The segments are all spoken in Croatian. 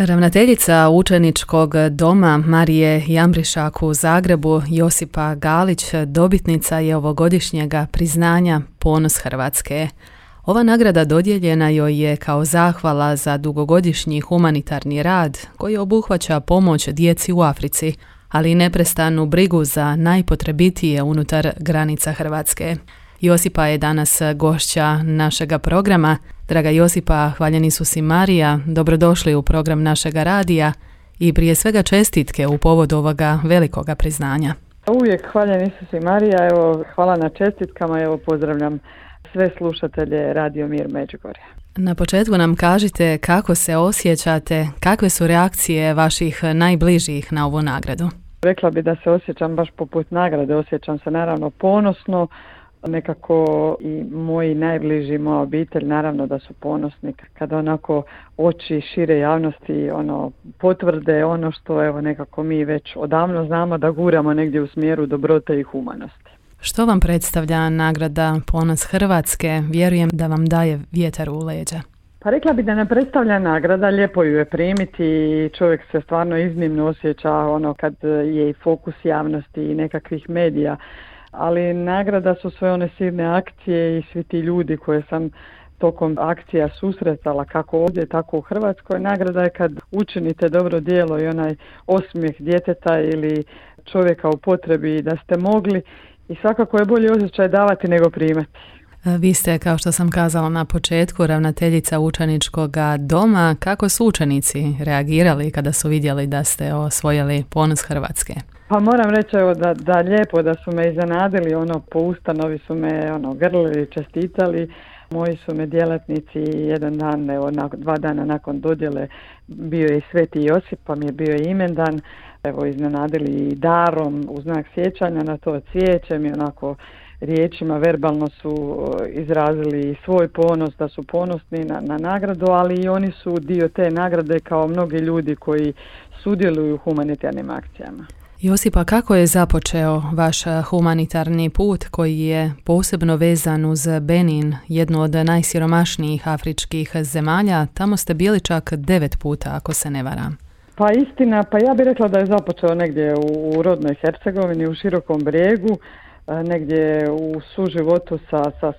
Ravnateljica učeničkog doma Marije Jambrišak u Zagrebu, Josipa Galić, dobitnica je ovogodišnjega priznanja Ponos Hrvatske. Ova nagrada dodijeljena joj je kao zahvala za dugogodišnji humanitarni rad koji obuhvaća pomoć djeci u Africi, ali i neprestanu brigu za najpotrebitije unutar granica Hrvatske. Josipa je danas gošća našega programa. Draga Josipa, hvaljeni su si Marija, dobrodošli u program našega radija i prije svega čestitke u povodu ovoga velikoga priznanja. Uvijek hvaljeni su si Marija, evo hvala na čestitkama, evo pozdravljam sve slušatelje Radio Mir Međugorja. Na početku nam kažite kako se osjećate, kakve su reakcije vaših najbližih na ovu nagradu? Rekla bi da se osjećam baš poput nagrade, osjećam se naravno ponosno, nekako i moji najbliži, moja obitelj, naravno da su ponosni kada onako oči šire javnosti potvrde ono što evo nekako mi već odavno znamo da guramo negdje u smjeru dobrote i humanosti. Što vam predstavlja nagrada Ponos Hrvatske? Vjerujem da vam daje vjetar u leđa. Pa rekla bi da ne predstavlja nagrada, lijepo ju je primiti i čovjek se stvarno iznimno osjeća kad je i fokus javnosti i nekakvih medija. Ali nagrada su sve one silne akcije i svi ti ljudi koje sam tokom akcija susretala kako ovdje tako u Hrvatskoj. Nagrada je kad učinite dobro djelo i onaj osmijeh djeteta ili čovjeka u potrebi da ste mogli i svakako je bolji osjećaj davati nego primati. Vi ste, kao što sam kazala na početku, ravnateljica učeničkog doma. Kako su učenici reagirali kada su vidjeli da ste osvojili Ponos Hrvatske? Pa moram reći da lijepo da su me iznenadili, po ustanovi su me grlili, čestitali. Moji su me djelatnici jedan dan, 2 dana nakon dodjele bio je i Sveti Josip, pa mi je bio i imendan. Evo iznenadili i darom u znak sjećanja na to cvijećem i riječima verbalno su izrazili svoj ponos, da su ponosni na nagradu, ali i oni su dio te nagrade kao mnogi ljudi koji sudjeluju u humanitarnim akcijama. Josipa, kako je započeo vaš humanitarni put koji je posebno vezan uz Benin, jednu od najsiromašnijih afričkih zemalja? Tamo ste bili čak 9 puta, ako se ne varam. Pa istina, ja bih rekla da je započeo negdje u rodnoj Hercegovini, u Širokom Brijegu, negdje u suživotu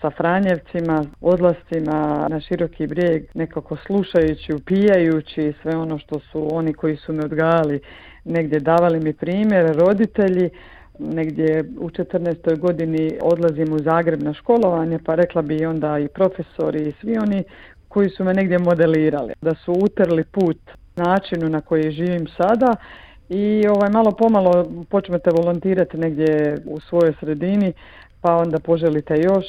sa Franjevcima, odlascima na Široki Brijeg, nekako slušajući, upijajući sve ono što su oni koji su me odgajali negdje davali mi primjer, roditelji. Negdje u 14. godini odlazim u Zagreb na školovanje, pa rekla bi onda i profesori i svi oni koji su me negdje modelirali, da su utrli put načinu na koji živim sada i malo pomalo počnete volontirati negdje u svojoj sredini, pa onda poželite još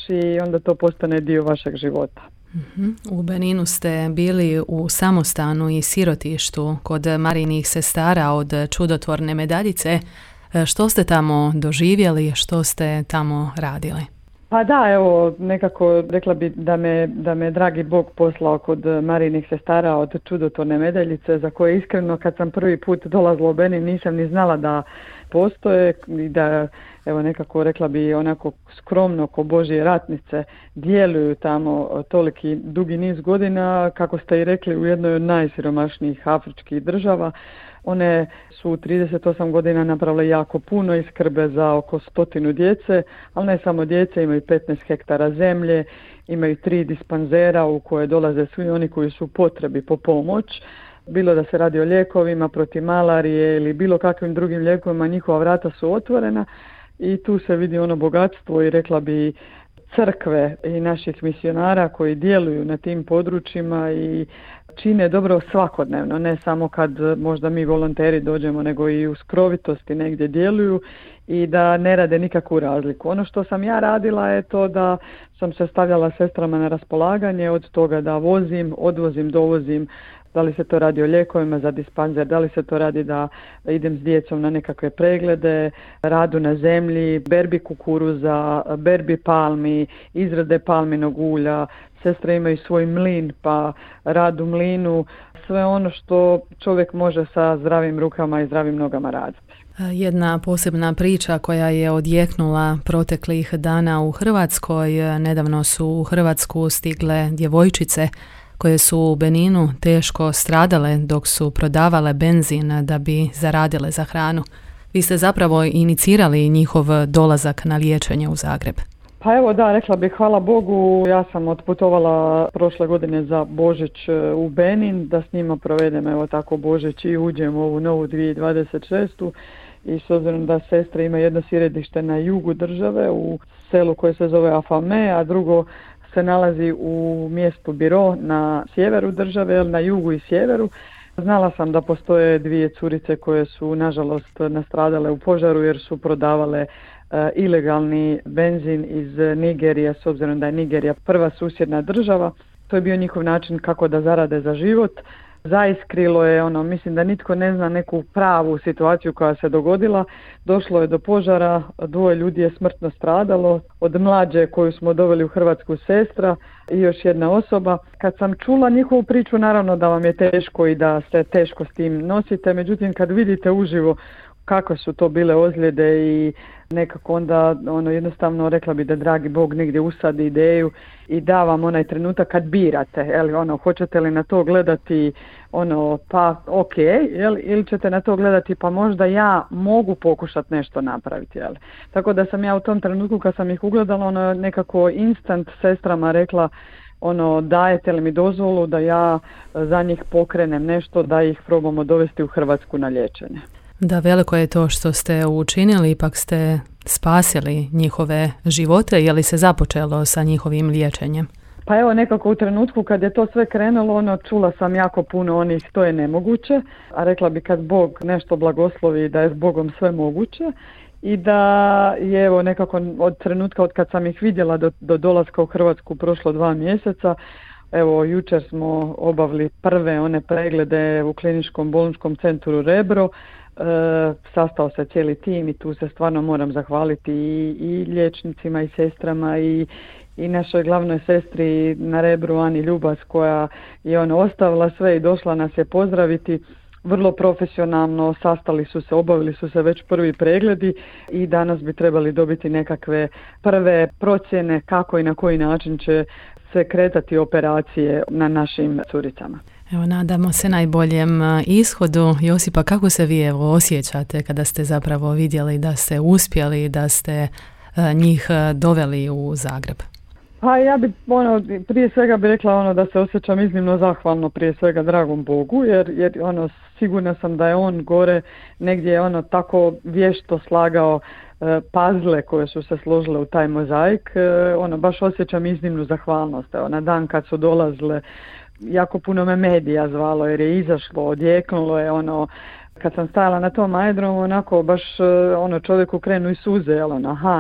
i onda to postane dio vašeg života. U Beninu ste bili u samostanu i sirotištu kod Marijinih sestara od čudotvorne medaljice. Što ste tamo doživjeli, što ste tamo radili? Pa da, evo, nekako rekla bi da me dragi Bog poslao kod Marijinih sestara od čudotvorne medaljice, za koje iskreno kad sam prvi put dolazila u Benin nisam ni znala da postoje i da, evo nekako rekla bi onako skromno ko Božje ratnice djeluju tamo toliki dugi niz godina, kako ste i rekli, u jednoj od najsiromašnijih afričkih država. One su u 38 godina napravile jako puno i skrbe za oko 100 djece, ali ne samo djece, imaju 15 hektara zemlje, imaju 3 dispanzera u koje dolaze svi oni koji su u potrebi po pomoć. Bilo da se radi o lijekovima protiv malarije ili bilo kakvim drugim lijekovima, njihova vrata su otvorena i tu se vidi bogatstvo i rekla bi crkve i naših misionara koji djeluju na tim područjima i čine dobro svakodnevno, ne samo kad možda mi volonteri dođemo, nego i u skrovitosti negdje djeluju i da ne rade nikakvu razliku. Ono što sam ja radila je to da sam se stavljala sestrama na raspolaganje, od toga da vozim, odvozim, dovozim, da li se to radi o lijekovima za dispanzer, da li se to radi da idem s djecom na nekakve preglede, radu na zemlji, berbi kukuruza, berbi palmi, izrade palminog ulja. Sestre imaju svoj mlin, pa rad u mlinu, sve ono što čovjek može sa zdravim rukama i zdravim nogama raditi. Jedna posebna priča koja je odjeknula proteklih dana u Hrvatskoj. Nedavno su u Hrvatsku stigle djevojčice koje su u Beninu teško stradale dok su prodavale benzin da bi zaradile za hranu. Vi ste zapravo inicirali njihov dolazak na liječenje u Zagreb. Pa evo da, rekla bih hvala Bogu, ja sam otputovala prošle godine za Božić u Benin, da s njima provedem evo tako Božić i uđem u ovu novu 2026. I s obzirom da sestra ima jedno sjedište na jugu države, u selu koje se zove Afame, a drugo se nalazi u mjestu Biro na sjeveru države, na jugu i sjeveru. Znala sam da postoje dvije curice koje su nažalost nastradale u požaru jer su prodavale ilegalni benzin iz Nigerije, s obzirom da je Nigerija prva susjedna država. To je bio njihov način kako da zarade za život. Zaiskrilo je, mislim da nitko ne zna neku pravu situaciju koja se dogodila. Došlo je do požara, 2 ljudi je smrtno stradalo, od mlađe koju smo doveli u Hrvatsku sestra i još jedna osoba. Kad sam čula njihovu priču, naravno da vam je teško i da se teško s tim nosite, međutim kad vidite uživo kakve su to bile ozljede i nekako onda jednostavno rekla bi da dragi Bog negdje usadi ideju i da vam onaj trenutak kad birate, hoćete li na to gledati pa ok, ili ćete na to gledati pa možda ja mogu pokušati nešto napraviti, Tako da sam ja u tom trenutku kad sam ih ugledala nekako instant sestrama rekla dajete li mi dozvolu da ja za njih pokrenem nešto, da ih probamo dovesti u Hrvatsku na liječenje. Da, veliko je to što ste učinili, ipak ste spasili njihove živote, je li se započelo sa njihovim liječenjem? Pa evo nekako u trenutku kad je to sve krenulo, čula sam jako puno onih to je nemoguće, a rekla bi kad Bog nešto blagoslovi da je s Bogom sve moguće i da je evo nekako od trenutka od kad sam ih vidjela do dolaska u Hrvatsku prošlo 2 mjeseca. Evo, jučer smo obavili prve one preglede u kliničkom bolničkom centru Rebro. Sastao se cijeli tim i tu se stvarno moram zahvaliti i liječnicima i sestrama i našoj glavnoj sestri na Rebru Ani Ljubas koja je ostavila sve i došla nas je pozdraviti. Vrlo profesionalno sastali su se, obavili su se već prvi pregledi i danas bi trebali dobiti nekakve prve procjene kako i na koji način će se kretati operacije na našim curicama. Evo, nadamo se najboljem ishodu. Josipa, kako se vi osjećate kada ste zapravo vidjeli da ste uspjeli, da ste njih doveli u Zagreb? Pa ja bi prije svega bi rekla da se osjećam iznimno zahvalno prije svega dragom Bogu jer sigurna sam da je on gore negdje tako vješto slagao puzzle koje su se složile u taj mozaik. Baš osjećam iznimnu zahvalnost. Evo, na dan kad su dolazile jako puno me medija zvalo jer je izašlo, odjeknulo je kad sam stajala na tom aerodromu onako baš čovjeku krenu i suze,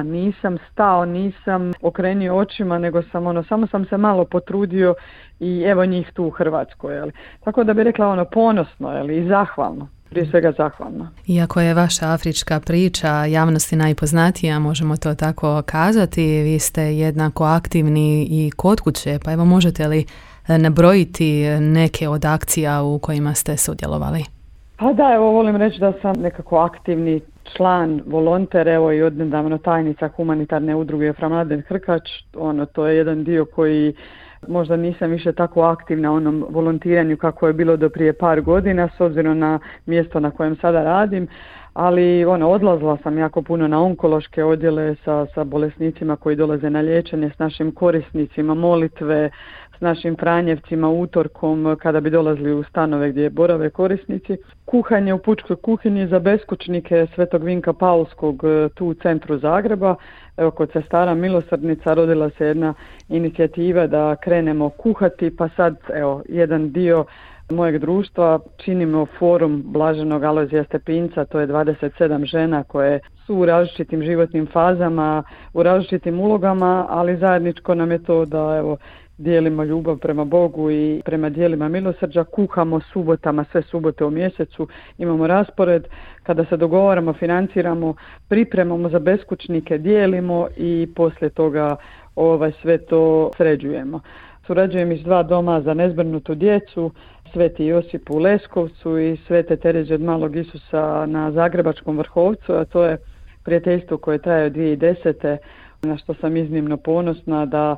nisam stao, nisam okrenio očima, nego sam samo sam se malo potrudio i evo njih tu u Hrvatskoj, Tako da bi rekla ponosno, i zahvalno. Prije svega zahvalno. Iako je vaša afrička priča javnosti najpoznatija, možemo to tako kazati, vi ste jednako aktivni i kod kuće, pa evo možete li nabrojiti neke od akcija u kojima ste sudjelovali? Pa da, evo volim reći da sam nekako aktivni član, volonter, evo i odnedavno tajnica humanitarne udruge Fra Mladen Hrkač, to je jedan dio koji možda nisam više tako aktivna u onom volontiranju kako je bilo do prije par godina s obzirom na mjesto na kojem sada radim, ali odlazila sam jako puno na onkološke odjele sa bolesnicima koji dolaze na liječenje, s našim korisnicima, molitve, s našim Franjevcima utorkom kada bi dolazili u stanove gdje borave korisnici. Kuhanje u pučkoj kuhinji za beskućnike Svetog Vinka Paulskog tu u centru Zagreba. Evo, kod sestara milosrdnica rodila se jedna inicijativa da krenemo kuhati, pa sad evo jedan dio mojeg društva činimo forum Blaženog Alojzija Stepinca, to je 27 žena koje su u različitim životnim fazama, u različitim ulogama, ali zajedničko nam je to da evo dijelimo ljubav prema Bogu i prema dijelima milosrđa, kuhamo subotama, sve subote u mjesecu, imamo raspored, kada se dogovaramo, financiramo, pripremamo za beskućnike, dijelimo i poslije toga sve to sređujemo. Surađujem iz 2 doma za nezbrinutu djecu, Sveti Josip u Leskovcu i Svete Terezije od Malog Isusa na Zagrebačkom Vrhovcu, a to je prijateljstvo koje traje od 2010. na što sam iznimno ponosna da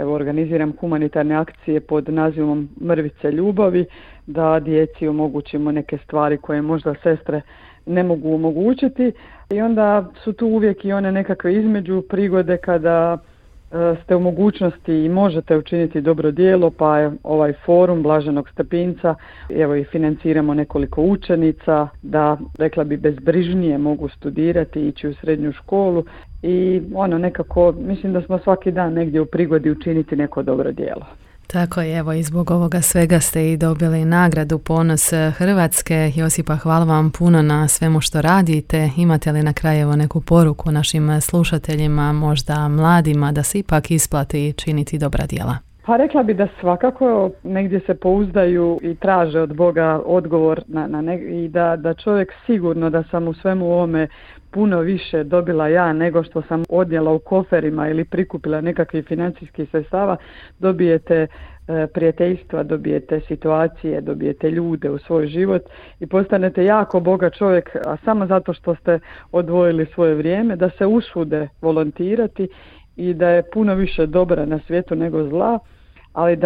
evo, organiziram humanitarne akcije pod nazivom Mrvice ljubavi, da djeci omogućimo neke stvari koje možda sestre ne mogu omogućiti i onda su tu uvijek i one nekakve između prigode kada ste u mogućnosti i možete učiniti dobro djelo, pa je ovaj forum Blaženog Stepinca, evo i financiramo nekoliko učenica da, rekla bi, bezbrižnije mogu studirati, ići u srednju školu i nekako mislim da smo svaki dan negdje u prigodi učiniti neko dobro djelo. Tako je, evo i zbog ovoga svega ste i dobili nagradu Ponos Hrvatske. Josipa, hvala vam puno na svemu što radite. Imate li na kraju neku poruku našim slušateljima, možda mladima, da se ipak isplati činiti dobra djela? Pa rekla bi da svakako negdje se pouzdaju i traže od Boga odgovor i da čovjek sigurno da sam u svemu ovome puno više dobila ja nego što sam odnijela u koferima ili prikupila nekakvih financijskih sredstava, dobijete prijateljstva, dobijete situacije, dobijete ljude u svoj život i postanete jako bogat čovjek, a samo zato što ste odvojili svoje vrijeme, da se usude volontirati i da je puno više dobra na svijetu nego zla, ali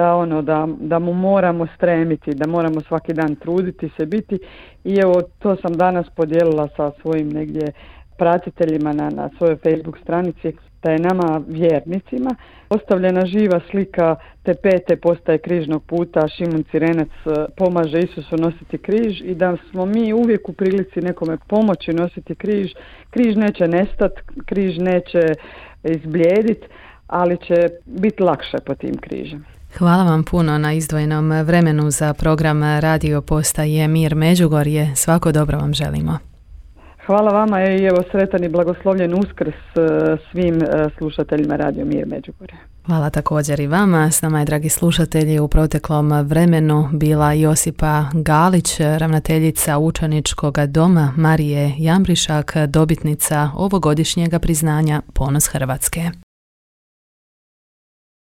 da mu moramo stremiti, da moramo svaki dan truditi se biti i evo to sam danas podijelila sa svojim negdje pratiteljima na svojoj Facebook stranici, da je nama vjernicima ostavljena živa slika te 5. postaje križnog puta, Šimun Cirenac pomaže Isusu nositi križ i da smo mi uvijek u prilici nekome pomoći nositi križ. Križ neće nestati, križ neće izblijediti, ali će biti lakše po tim križem. Hvala vam puno na izdvojenom vremenu za program Radio Postaje Mir Međugorje. Svako dobro vam želimo. Hvala vama i evo sretan i blagoslovljen Uskrs svim slušateljima Radio Mir Međugorje. Hvala također i vama. S nama je, dragi slušatelji, u proteklom vremenu bila Josipa Galić, ravnateljica učeničkog doma Marije Jambrišak, dobitnica ovogodišnjega priznanja Ponos Hrvatske.